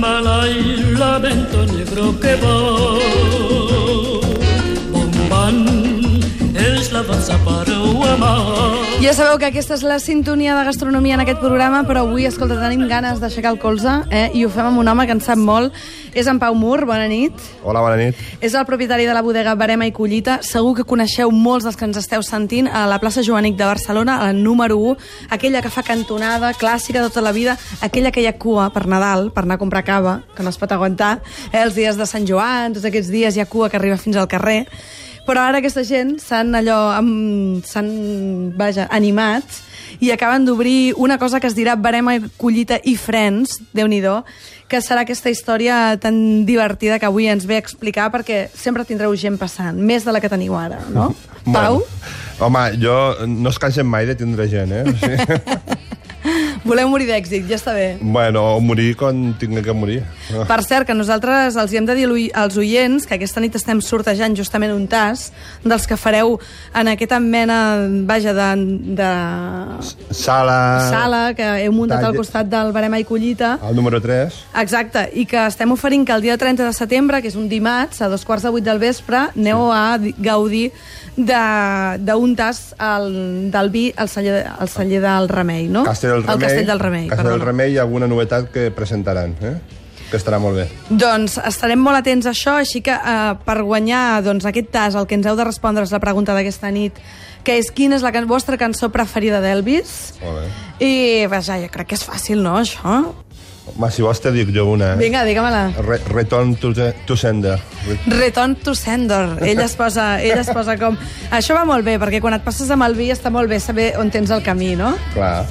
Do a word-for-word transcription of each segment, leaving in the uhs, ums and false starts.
mala y lamento negro que va. Bombant és la dansa per amar. Ja sabeu que aquesta és la sintonia de gastronomia en aquest programa, però avui, escolta, tenim ganes d'aixecar el colze, eh? I ho fem amb un home que en sap molt. És en Pau Mur, bona nit. Hola, bona nit. És el propietari de la bodega Verema i Collita. Segur que coneixeu molts dels que ens esteu sentint a la plaça Joanic de Barcelona, a la número u, aquella que fa cantonada, clàssica tota la vida, aquella que hi ha cua per Nadal, per anar a comprar cava, que no es pot aguantar, eh? Els dies de Sant Joan, tots aquests dies hi ha cua que arriba fins al carrer. Però ara aquesta gent s'han allò, s'han, vaja, animats i acaben d'obrir una cosa que es dirà Verema i Collita i Friends, Déu-n'hi-do, que serà aquesta història tan divertida que avui ens ve a explicar, perquè sempre tindreu gent passant, més de la que teniu ara, no? Bueno, Pau? Home, jo no es cansen mai de tindre gent, eh? O sigui... Voleu morir d'èxit, ja està bé. Bueno, o morir quan tinguem que morir. Per cert, que nosaltres els hi hem de dir als oients que aquesta nit estem sortejant justament un tas dels que fareu en aquesta mena, vaja, de... de... Sala... Sala, que heu muntat Tall... al costat del Verema i Collita. El número tres. Exacte, i que estem oferint que el dia trenta de setembre, que és un dimarts, a dos quarts de vuit del vespre, aneu a gaudir d'un tas al, del vi al celler, al celler del Remei, no? Castell del Remei. El Castell del Remei. Castell del Remei, i alguna novetat que presentaran, eh? Que estarà molt bé. Doncs estarem molt atents a això, així que eh, per guanyar doncs, aquest tas el que ens heu de respondre és la pregunta d'aquesta nit, que és quina és la can vostra cançó preferida d'Elvis. Molt bé. I vaja, jo crec que és fàcil, no, això? Home, si vols te dic jo una. Eh? Vinga, digue-me-la. Re Return to, to Sender. Return to Sender. Ell es, posa, ell es posa com... Això va molt bé, perquè quan et passes amb el vi està molt bé saber on tens el camí, no? Clar.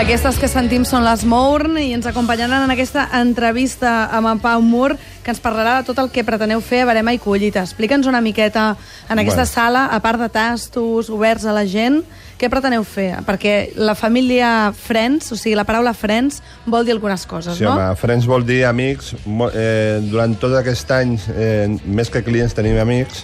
Aquestes que sentim són les Mourn i ens acompanyaran en aquesta entrevista amb en Pau Mur, que ens parlarà de tot el que preteneu fer a Verema i Collita. Explica'ns una miqueta en aquesta bueno. sala, a part de tastos oberts a la gent, què preteneu fer? Perquè la família Friends, o sigui, la paraula Friends, vol dir algunes coses, sí, no? Sí, home, Friends vol dir amics. Eh, durant tot aquest any, eh, més que clients, tenim amics,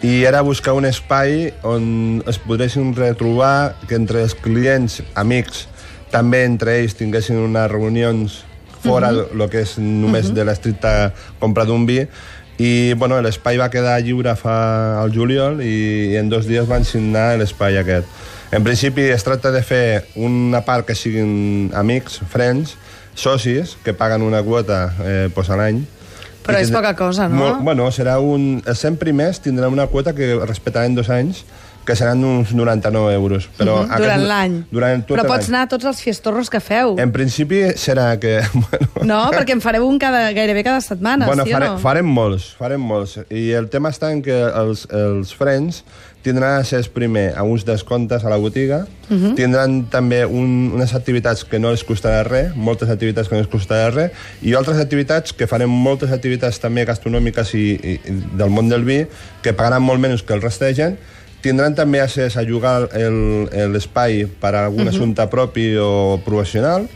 i era buscar un espai on es podressin retrobar, que entre els clients, amics, també entre ells tinguessin unes reunions fora uh-huh. del que és només uh-huh. de l'estricta compra d'un vi, i bueno, l'espai va quedar lliure fa al juliol i, i en dos dies van signar l'espai aquest. En principi es tracta de fer una part que siguin amics, friends, socis, que paguen una quota eh, pues, a l'any. Però és poca cosa, no? Molt, bueno, serà un... Els cent primers tindran una quota que respectaran dos anys, que seran uns noranta-nou euros. Però uh -huh. aquest, durant l'any. Però pots anar a tots els fiestorros que feu. En principi serà que... Bueno, no, perquè en fareu un cada, gairebé cada setmana, bueno, sí fare, o no? Farem molts, farem molts. I el tema està en que els, els friends tindran accés primer a uns descomptes a la botiga, uh -huh. tindran també un, unes activitats que no els costarà res, moltes activitats que no els costarà res, i altres activitats que farem moltes activitats també gastronòmiques i, i, i del món del vi, que pagaran molt menys que el rest de gent. Tindran també accés a jugar l'espai per a algun uh -huh. assumpte propi o professional,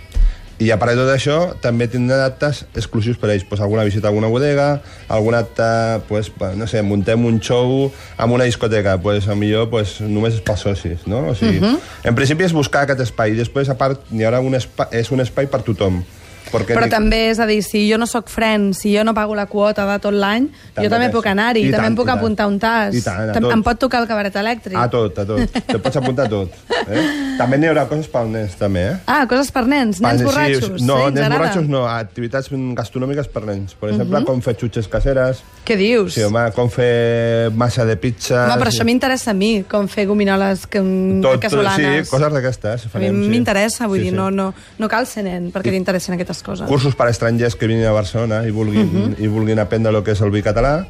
i a part de tot això també tindran actes exclusius per a ells, pues, alguna visita a alguna bodega, algun acte, pues, no sé, muntem un show amb una discoteca, pues, a millor pues, només és per socis, no? O sigui, uh -huh. en principi és buscar aquest espai, i després a part hi haurà un espai, és un espai per tothom. Perquè Però dic... també, és a dir, si jo no sóc friend, si jo no pago la quota de tot l'any, jo també puc anar-hi, també tant, em puc apuntar un tas. I tant, em pot tocar el cabaret elèctric. A tot, a tot. Te pots apuntar a tot. Eh? També n'hi haurà coses per nens, també, eh? Ah, coses per nens? Nens sí, borratxos? no, sí, nens borratxos no. Activitats gastronòmiques per nens. Per exemple, uh -huh. com fer xutxes caseres. Què dius? Sí, home, com fer massa de pizza. Home, però això m'interessa a mi, com fer gominoles tot, casolanes. Sí, coses d'aquestes. A mi m'interessa, vull sí, dir, sí. No, no, no cal ser nen perquè t'interessen aquestes coses. Cursos per estrangers que vinguin a Barcelona i vulguin, uh -huh. i vulguin aprendre el que és el vi català,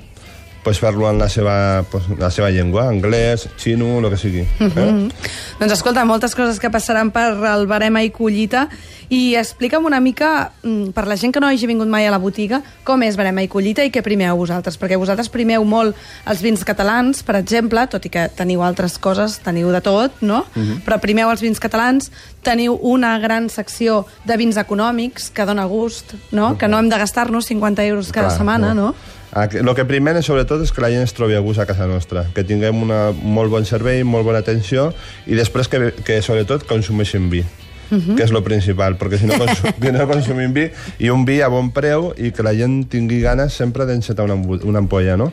pues fer-lo en la seva, pues, la seva llengua, anglès, xino, el que sigui. Eh? Uh -huh. Doncs escolta, moltes coses que passaran per el Verema i Collita, i explica'm una mica, per la gent que no hagi vingut mai a la botiga, com és Verema i Collita i què primeu vosaltres, perquè vosaltres primeu molt els vins catalans, per exemple, tot i que teniu altres coses, teniu de tot, no? Uh -huh. Però primeu els vins catalans, teniu una gran secció de vins econòmics que dona gust, no? Uh -huh. Que no hem de gastar-nos cinquanta euros cada Clar, setmana, no? El que primer, sobretot, és que la gent es trobi a gust a casa nostra, que tinguem una molt bon servei, molt bona atenció, i després que, que sobretot, consumeixin vi. Uh-huh. Que és el principal, perquè si no, consum, si no consumim vi, i un vi a bon preu, i que la gent tingui ganes sempre d'encetar una, una ampolla, no?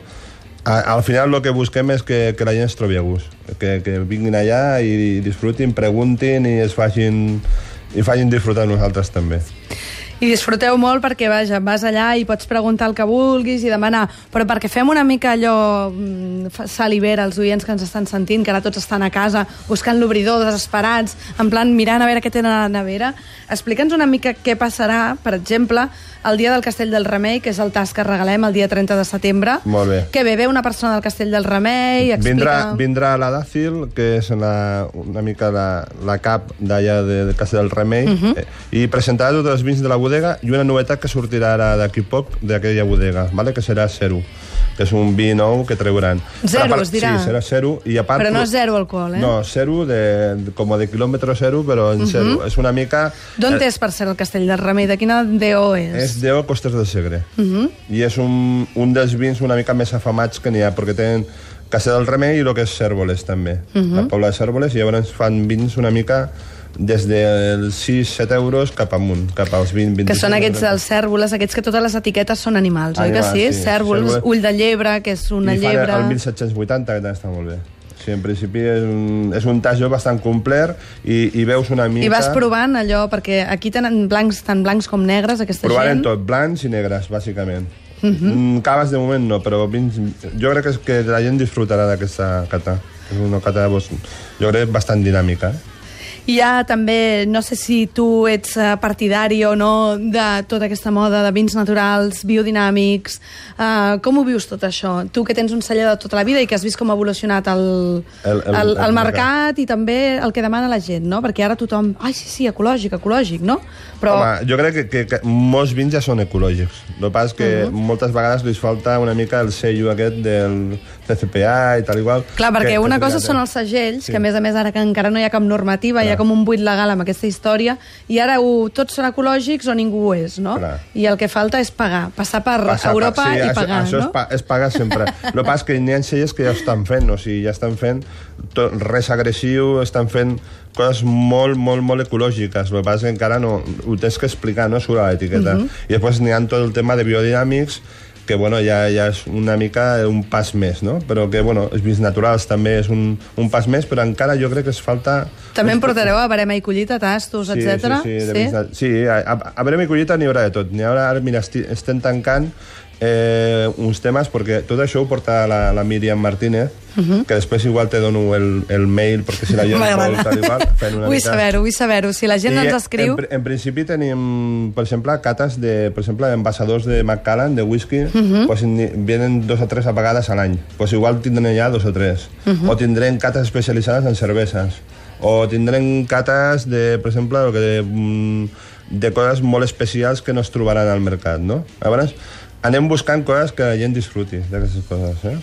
A, al final el que busquem és que, que la gent es trobi a gust, que, que vinguin allà i disfrutin, preguntin i es facin, i facin disfrutar nosaltres també. I disfruteu molt perquè, vaja, vas allà i pots preguntar el que vulguis i demanar, però perquè fem una mica allò salivera als oients que ens estan sentint, que ara tots estan a casa buscant l'obridor, desesperats, en plan mirant a veure què tenen a la nevera, explica'ns una mica què passarà, per exemple, el dia del Castell del Remei, que és el tas que regalem el dia trenta de setembre. Molt bé. Que bé, ve una persona del Castell del Remei, explica... Vindrà, vindrà la Dàcil, que és la, una mica la, la cap d'allà del Castell del Remei, uh-huh. eh, i presentarà tots els vins de la bodega i una novetat que sortirà ara d'aquí poc d'aquella bodega, ¿vale? Que serà zero, que és un vi nou que treuran. Zero, es dirà? Sí, serà zero. I a part, però no és zero alcohol, eh? No, zero, de, com de quilòmetre zero, però en zero. Uh-huh. És una mica... D'on eh, és, per ser el Castell del Remei? De quina D O és? És D O Costes del Segre. Uh-huh. I és un, un dels vins una mica més afamats que n'hi ha, perquè tenen Castell del Remei i el que és Cérvoles, també. Uh-huh. La Pobla de Cérvoles, i llavors fan vins una mica des dels sis a set euros cap amunt, cap als vint a vint-i-cinc. Que són aquests dels cèrvoles, aquests que totes les etiquetes són animals, oi que sí? sí. Cèrvoles, ull de llebre, que és una I llebre... I fan el mil set-cents vuitanta, que també està molt bé. Sí, en principi és un, és un tajo bastant complet i, i veus una mica... I vas provant allò, perquè aquí tenen blancs, tant blancs com negres, aquesta Provaren gent... tot, blancs i negres, bàsicament. Uh-huh. Caves de moment no, però vins, jo crec que, és que la gent disfrutarà d'aquesta cata. És una cata, jo crec, bastant dinàmica, eh? I hi ha també, no sé si tu ets partidari o no de tota aquesta moda de vins naturals, biodinàmics, uh, com ho vius tot això? Tu que tens un celler de tota la vida i que has vist com ha evolucionat el, el, el, el, el mercat i també el que demana la gent, no? Perquè ara tothom, ai, sí, sí, ecològic, ecològic, no? Però... Home, jo crec que, que, que molts vins ja són ecològics. El que passa és que uh-huh. moltes vegades li falta una mica el sello aquest del C C P A i tal igual. Clar, perquè que, una que cosa són els segells, sí. que a més a més ara que encara no hi ha cap normativa, clar. Hi ha com un buit legal amb aquesta història, i ara ho, tots són ecològics o ningú ho és, no? Clar. I el que falta és pagar, passar per passar, Europa sí, i pagar, això, no? Això és, pa, és pagar sempre. El que passa és que n'hi ha cellers que ja estan fent, o sigui, ja estan fent tot, res agressiu, estan fent coses molt, molt, molt ecològiques. El que passa és que encara no, ho tens que explicar, no?, sobre l'etiqueta. Uh-huh. I després n'hi ha tot el tema de biodinàmics, que bueno, ja, ja és una mica un pas més, no? Però que, bueno, els vins naturals també és un, un pas més, però encara jo crec que es falta... També em portareu a Verema i Collita, tastos, sí, etcètera? Sí, sí, sí. De... sí a, a Verema i Collita n'hi haurà de tot. N'hi haurà, ara, mira, esti, estem tancant eh, uns temes, perquè tot això ho porta la, la Míriam Martínez, uh-huh. que després igual te dono el, el mail, perquè si la gent vol tal igual, fent una vull mica... saber-ho, vull saber-ho. Si la gent I ens escriu... En, en principi tenim, per exemple, cates de, per exemple, envasadors de Macallan, de whisky, uh-huh. pues, vienen dos o tres apagades a l'any. Pues igual tindrem ja dos o tres. Uh-huh. O tindrem cates especialitzades en cerveses. O tindrem cates de, per exemple, de, de coses molt especials que no es trobaran al mercat, no? Llavors, anem buscant coses que la gent disfruti d'aquestes coses, eh?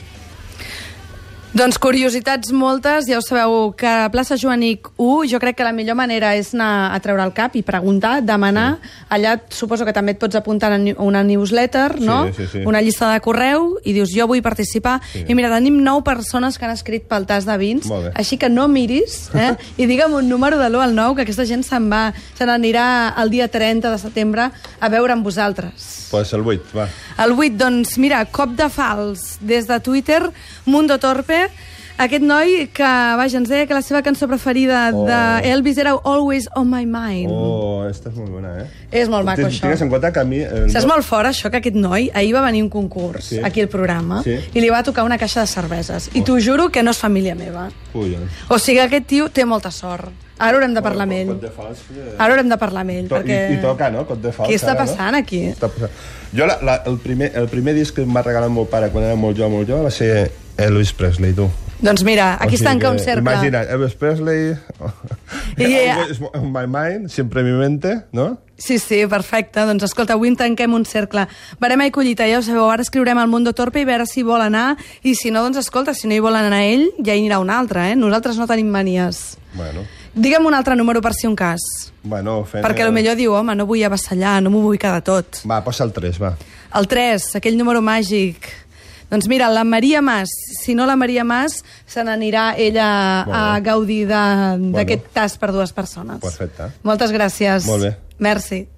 Doncs curiositats moltes, ja ho sabeu que a Plaça Joanic u jo crec que la millor manera és anar a treure el cap i preguntar, demanar, sí. Allà suposo que també et pots apuntar a una newsletter, no? Sí, sí, sí. Una llista de correu i dius jo vull participar, sí. I mira, tenim nou persones que han escrit pel tas de vins, així que no miris, eh? I digue'm un número de l'u al nou, que aquesta gent se'n va, se n'anirà el dia trenta de setembre a veure amb vosaltres. Pues el vuit, va. El vuit, doncs mira, cop de fals des de Twitter, Mundo Torpe, aquest noi que, vaja, ens deia que la seva cançó preferida oh. d'Elvis era Always on My Mind. Oh, esta és molt bona, eh? És molt maco, això. Tingues en compte que a mi... El... Saps molt fort, això, que aquest noi ahir va venir un concurs sí. Aquí al programa sí. I li va tocar una caixa de cerveses. Oh. I t'ho juro que no és família meva. Ui, eh. O sigui, aquest tio té molta sort. Ara haurem de parlar bueno, amb ell. Fals, eh... Ara haurem de parlar amb ell, to perquè... I, I toca, no? Cot de fals. Què està ara, passant, no? aquí? Està passant. Jo, la, la, el, primer, el primer disc que em va regalar el meu pare quan era molt jove, molt jove, va ser Elvis Presley, tu. Doncs mira, aquí o sigui, es tanca un cercle. Imagina, Elvis Presley, I, Always on My Mind, siempre mi mente, no? Sí, sí, perfecte. Doncs escolta, avui en tanquem un cercle. Verema i Collita, ja ho sabeu, ara escriurem al Mundo Torpe i veure si vol anar, i si no, doncs escolta, si no hi vol anar ell, ja hi anirà un altre, eh? Nosaltres no tenim manies. Bueno. Digue'm un altre número per si un cas. Bueno, fent... Perquè potser diu, home, no vull avassallar, no m'ho vull quedar tot. Va, posa el tres, va. El tres, aquell número màgic. Doncs mira, la Maria Mas, si no la Maria Mas, se n'anirà ella a gaudir d'aquest bueno. tas per dues persones. Perfecte. Moltes gràcies. Molt bé. Merci.